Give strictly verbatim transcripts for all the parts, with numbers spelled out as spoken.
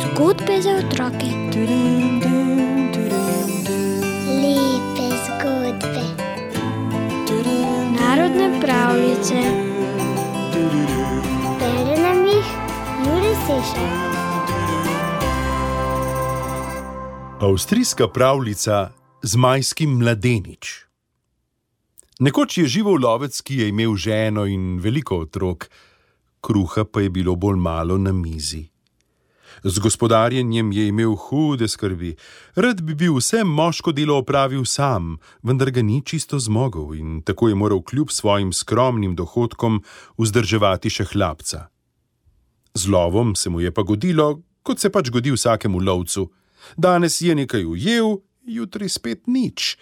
Zgodbe za otroke. Lepe zgodbe. Narodne pravljice. Bere nam jih Jure Sešar. Avstrijska pravljica Zmajski mladenič. Nekoč je živel lovec, ki je imel ženo in veliko otrok, kruha pa je bilo bolj malo na mizi. Z gospodarjenjem je imel hude skrbi. Rad bi bil vse moško delo opravil sam, vendar ga ni čisto zmogel in tako je moral kljub svojim skromnim dohodkom vzdrževati še hlapca. Z lovom se mu je pa godilo, kot se pač godi vsakemu lovcu. Danes je nekaj ujel, jutri spet nič.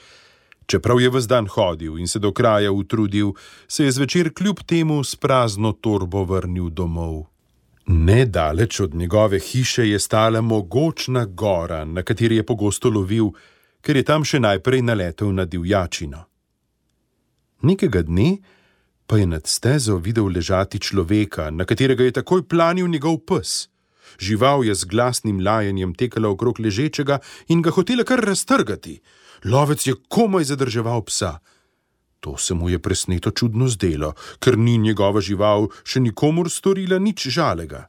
Čeprav je ves dan hodil in se do kraja utrudil, se je zvečer kljub temu s prazno torbo vrnil domov. Nedaleč od njegove hiše je stala mogočna gora, na kateri je pogosto lovil, ker je tam še najprej naletel na divjačino. Nekega dne pa je nad stezo videl ležati človeka, na katerega je takoj planil njegov pes. Žival je z glasnim lajanjem tekala okrog ležečega in ga hotela kar raztrgati. Lovec je komaj zadrževal psa. To se mu je presneto čudno zdelo, ker ni njegova žival še nikomur storila nič žalega.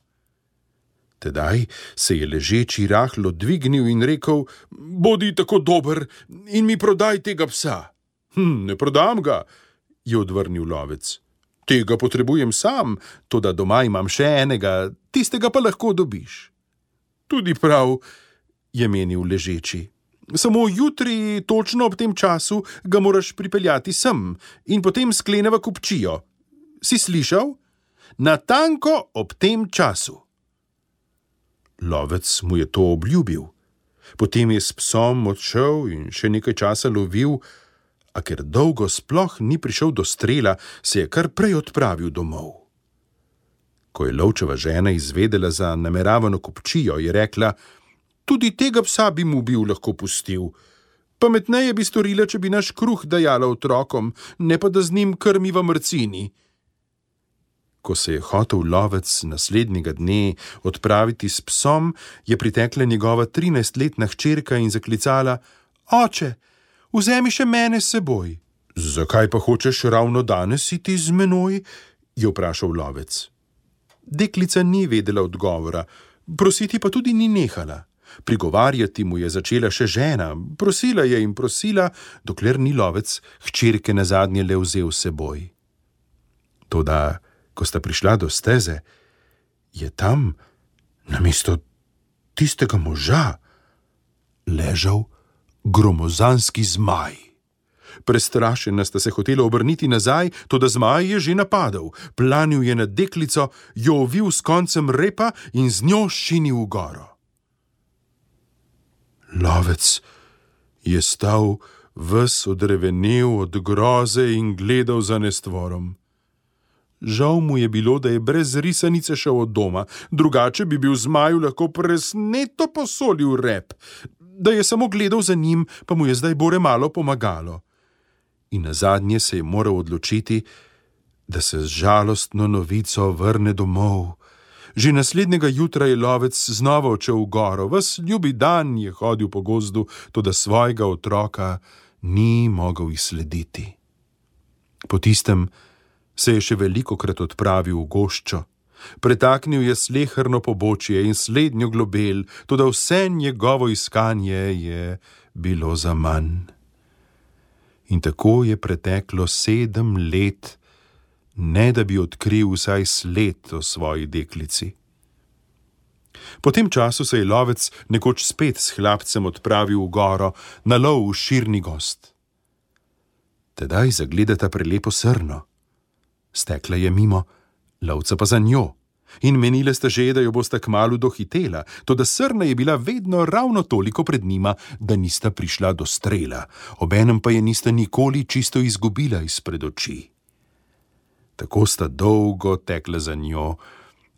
Tedaj se je ležeči rahlo dvignil in rekel: "Bodi tako dober in mi prodaj tega psa." Hm, ne prodam ga, je odvrnil lovec. Tega potrebujem sam, toda doma imam še enega, tistega pa lahko dobiš. Tudi prav, je menil ležeči. Samo jutri, točno ob tem času, ga moraš pripeljati sem in potem skleneva kupčijo. Si slišal? Natanko ob tem času. Lovec mu je to obljubil. Potem je s psom odšel in še nekaj časa lovil, a ker dolgo sploh ni prišel do strela, se je kar prej odpravil domov. Ko je lovčeva žena izvedela za nameravano kupčijo, je rekla: "Tudi tega psa bi mu bil lahko pustil. Pametneje bi storila, če bi naš kruh dajala otrokom, ne pa da z njim krmiva mrcini." Ko se je hotel lovec naslednjega dne odpraviti s psom, je pritekla njegova trinajstletna hčerka in zaklicala: "Oče, vzemi še mene s seboj." "Zakaj pa hočeš ravno danes iti z menoj?" je vprašal lovec. Deklica ni vedela odgovora, prositi pa tudi ni nehala. Prigovarjati mu je začela še žena, prosila je in prosila, dokler ni lovec hčerke nazadnje le vzel s seboj. Toda, ko sta prišla do steze, je tam, namesto tistega moža, ležal gromozanski zmaj. Prestrašena sta se hotela obrniti nazaj, toda zmaj je že napadel. Planil je na deklico, jo ovil s koncem repa in z njo šinil v goro. Lovec je stal ves odrevenel od groze in gledal za nestvorom. Žal mu je bilo, da je brez risanice šel od doma, drugače bi bil zmaju lahko presneto posolil rep. Da je samo gledal za njim, pa mu je zdaj bore malo pomagalo. In nazadnje se je moral odločiti, da se z žalostno novico vrne domov. Že naslednjega jutra je lovec znova odšel v goro, ves ljubi dan je hodil po gozdu, toda svojega otroka ni mogel izslediti. Po tistem se je še velikokrat odpravil v goščo. Pretaknil je sleherno pobočje in slednjo globel, toda vse njegovo iskanje je bilo zaman. In tako je preteklo sedem let, ne da bi odkril vsaj sled o svoji deklici. Po tem času se je lovec nekoč spet s hlapcem odpravil v goro na lov v širni gozd. Tedaj zagledata prelepo srno. Stekla je mimo, lovca pa za njo. In menile sta že, da jo bosta kmalu dohitela, toda srna je bila vedno ravno toliko pred njima, da nista prišla do strela, obenem pa je nista nikoli čisto izgubila izpred oči. Tako sta dolgo tekla za njo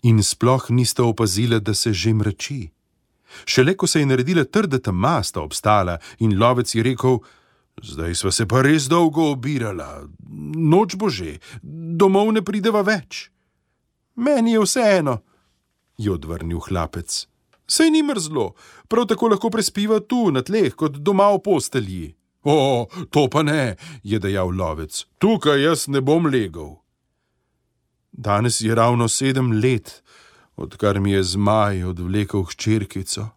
in sploh nista opazila, da se že mrači. Šele ko se je naredila trda tema, sta obstala in lovec je rekel: "Zdaj sva se pa res dolgo obirala, noč bo že, domov ne prideva več." Meni je vseeno, je odvrnil hlapec. Saj ni mrzlo, prav tako lahko prespiva tu, na tleh, kot doma v postelji. O, to pa ne, je dejal lovec. Tukaj jaz ne bom legel. Danes je ravno sedem let, odkar mi je zmaj odvlekel hčerkico.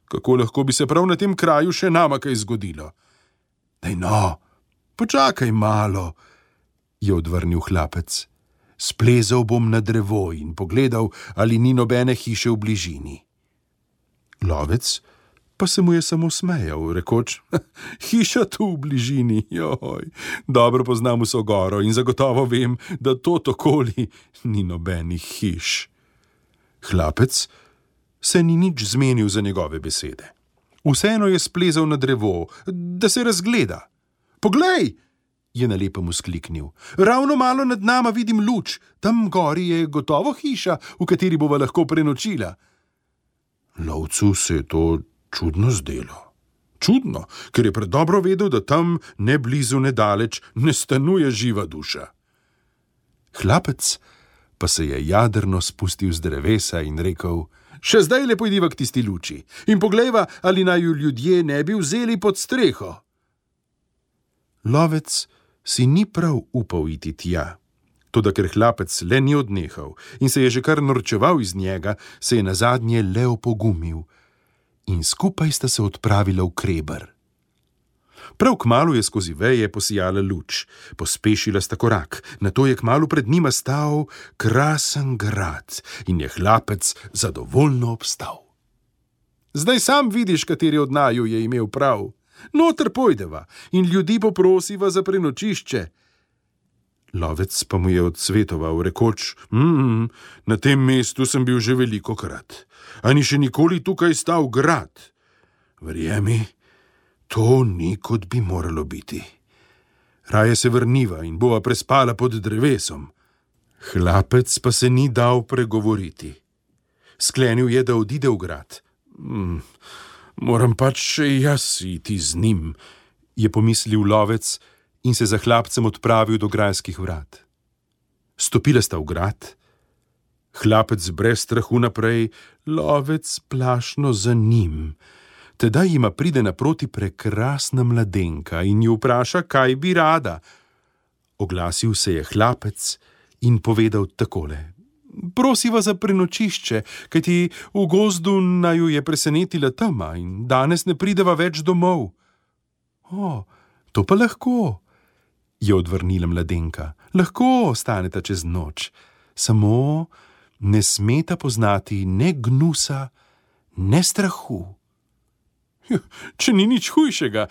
Kako lahko bi se prav na tem kraju še nama kaj zgodilo? Daj no, počakaj malo, je odvrnil hlapec. Splezal bom na drevo in pogledal, ali ni nobene hiše v bližini. Lovec pa se mu je samo smejal, rekoč, hiša tu v bližini, joj, dobro poznam vso goro in zagotovo vem, da to okoli ni nobenih hiš. Hlapec se ni nič zmenil za njegove besede. Vseeno je splezal na drevo, da se razgleda. Poglej, je na lepem vzkliknil, ravno malo nad nama vidim luč, tam gori je gotovo hiša, v kateri bova lahko prenočila. Lovcu se je to čudno zdelo. Čudno, ker je predobro vedel, da tam ne blizu, ne daleč ne stanuje živa duša. Hlapec pa se je jadrno spustil z drevesa in rekel, še zdaj le pojdiva k tisti luči in poglejva, ali naj ju ljudje ne bi vzeli pod streho. Lovec si ni prav upal iti tja. Toda ker hlapec le ni odnehal in se je že kar norčeval iz njega, se je nazadnje le opogumil in skupaj sta se odpravila v Kreber. Prav kmalu je skozi veje posijala luč, pospešila sta korak, nato je kmalu pred njima stal krasen grad in je hlapec zadovoljno obstal. Zdaj sam vidiš, kateri od naju je imel prav. Noter pojdeva in ljudi poprosiva za prenočišče. Lovec pa mu je odsvetoval, rekoč, mm, na tem mestu sem bil že velikokrat, a ni še nikoli tukaj stal grad. Verjemi, to ni, kot bi moralo biti. Raje se vrniva in bova prespala pod drevesom. Hlapec pa se ni dal pregovoriti. Sklenil je, da odide v grad. Mm, moram pač še jaz iti z njim, je pomislil lovec, in se za hlapcem odpravil do grajskih vrat. Stopila sta v grad, hlapec brez strahu naprej, lovec plašno za njim. Tedaj jima pride naproti prekrasna mladenka in ju vpraša, kaj bi rada. Oglasil se je hlapec in povedal takole. Prosiva za prenočišče, kajti v gozdu naju je presenetila tema in danes ne prideva več domov. O, to pa lahko, je odvrnila mladenka. Lahko ostaneta čez noč, samo ne smeta poznati ne gnusa, ne strahu. Če ni nič hujšega,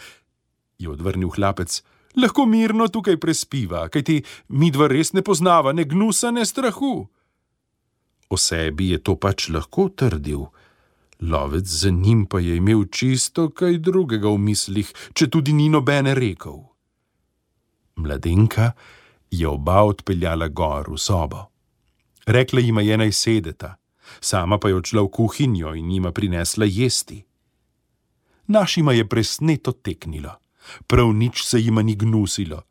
je odvrnil hlapec, lahko mirno tukaj prespiva, kajti midva res ne poznava ne gnusa, ne strahu. O sebi je to pač lahko trdil. Lovec za njim pa je imel čisto kaj drugega v mislih, če tudi ni nobene rekel. Mladenka je oba odpeljala gor v sobo. Rekla jima je, naj sedeta, sama pa je odšla v kuhinjo in jima prinesla jesti. Našima je presneto teknilo, prav nič se jima ni gnusilo.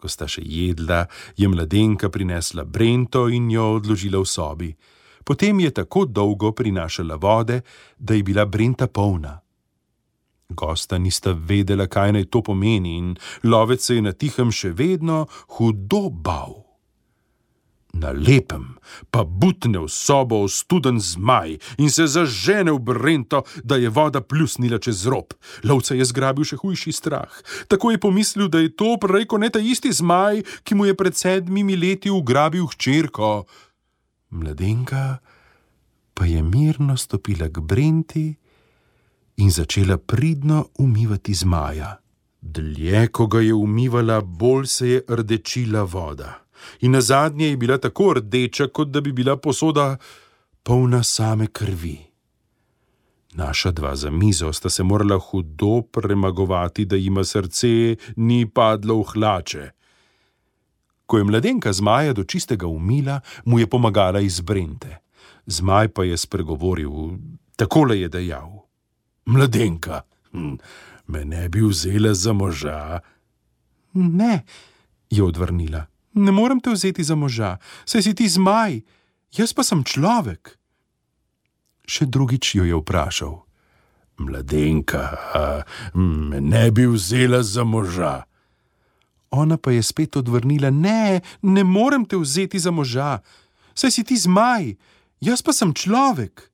Ko sta še jedla, je mladenka prinesla brento in jo odložila v sobi. Potem je tako dolgo prinašala vode, da je bila brenta polna. Gosta nista vedela, kaj naj to pomeni in lovec se je na tihem še vedno hudo bal. Na lepem pa butne v sobo ostuden zmaj in se zažene v brento, da je voda pljusnila čez rob. Lovca je zgrabil še hujši strah. Tako je pomislil, da je to prej ko ne ta isti zmaj, ki mu je pred sedmimi leti ugrabil hčerko. Mladenka pa je mirno stopila k brenti in začela pridno umivati zmaja. Dlje, ko ga je umivala, bolj se je rdečila voda. In nazadnje je bila tako rdeča, kot da bi bila posoda polna same krvi. Naša dva za mizo sta se morala hudo premagovati, da jima srce ni padlo v hlače. Ko je mladenka zmaja do čistega umila, mu je pomagala iz brente. Zmaj pa je spregovoril, takole je dejal. Mladenka, hm, me ne bi vzela za moža. Ne, je odvrnila, ne morem te vzeti za moža, saj si ti zmaj jaz pa sem človek. Še drugič jo je vprašal: Mladenka, me ne bi vzela za moža? Ona pa je spet odvrnila: Ne, ne morem te vzeti za moža, saj si ti zmaj, jaz pa sem človek.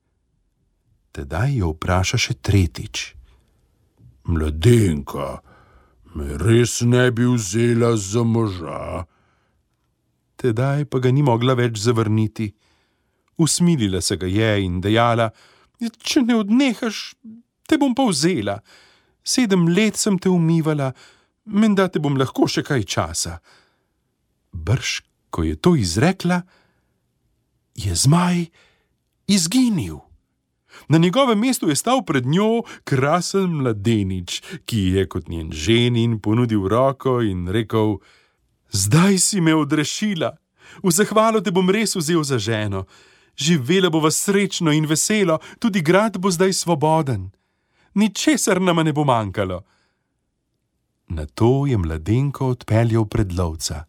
Tedaj jo vpraša še tretjič: Mladenka, me res ne bi vzela za moža? Tedaj pa ga ni mogla več zavrniti. Usmilila se ga je in dejala: Če ne odnehaš, te bom pa vzela. Sedem let sem te umivala, menda te bom lahko še kaj časa. Brž, ko je to izrekla, je zmaj izginil. Na njegovem mestu je stal pred njo krasen mladenič, ki je kot njen ženin ponudil roko in rekel: Zdaj si me odrešila, v zahvalo te bom res vzel za ženo. Živela bova srečno in veselo, tudi grad bo zdaj svoboden. Ničesar nama ne bo manjkalo. Nato je mladenko odpeljal pred lovca.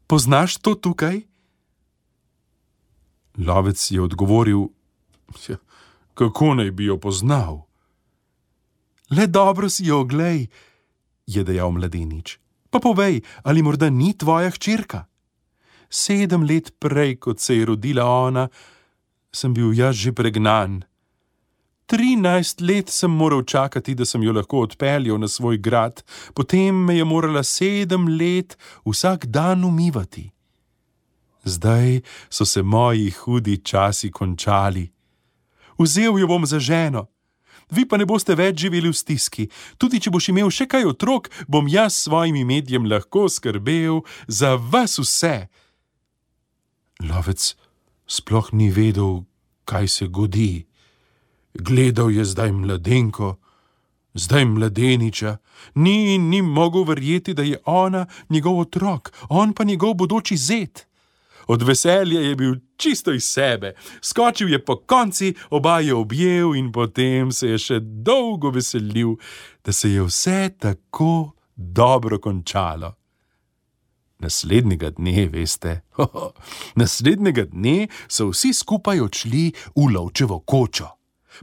Poznaš to tukaj? Lovec je odgovoril: Kako naj bi jo poznal? Le dobro si jo oglej, je dejal mladenič. Pa povej, ali morda ni tvoja hčerka? Sedem let prej, kot se je rodila ona, sem bil jaz že pregnan. Trinajst let sem moral čakati, da sem jo lahko odpeljal na svoj grad, potem me je morala sedem let vsak dan umivati. Zdaj so se moji hudi časi končali. Vzel jo bom za ženo. Vi pa ne boste več živeli v stiski. Tudi če boš imel še kaj otrok, bom jaz s svojim medjem lahko skrbel za vas vse. Lovec sploh ni vedel, kaj se godi. Gledal je zdaj mladenko, zdaj mladeniča, ni in ni mogel verjeti, da je ona njegov otrok, on pa njegov bodoči zet. Od veselja je bil čisto iz sebe, skočil je po konci, oba je objel in potem se je še dolgo veselil, da se je vse tako dobro končalo. Naslednjega dne, veste, hoho, naslednjega dne so vsi skupaj odšli v lovčevo kočo.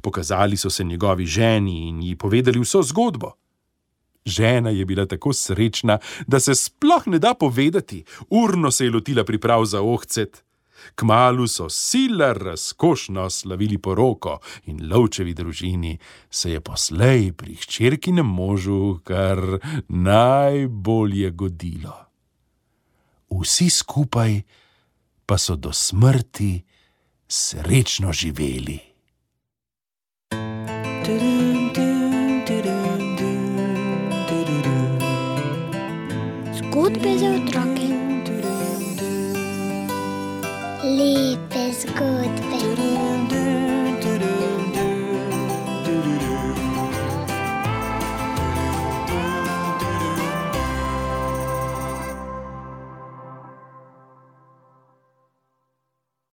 Pokazali so se njegovi ženi in ji povedali vso zgodbo. Žena je bila tako srečna, da se sploh ne da povedati. Urno se je lotila priprav za ohcet. Kmalu so sila razkošno slavili poroko in lovčevi družini se je poslej pri hčerkinem možu kar najbolje godilo. Vsi skupaj pa so do smrti srečno živeli. Zgodbe za otroke. Lepe zgodbe.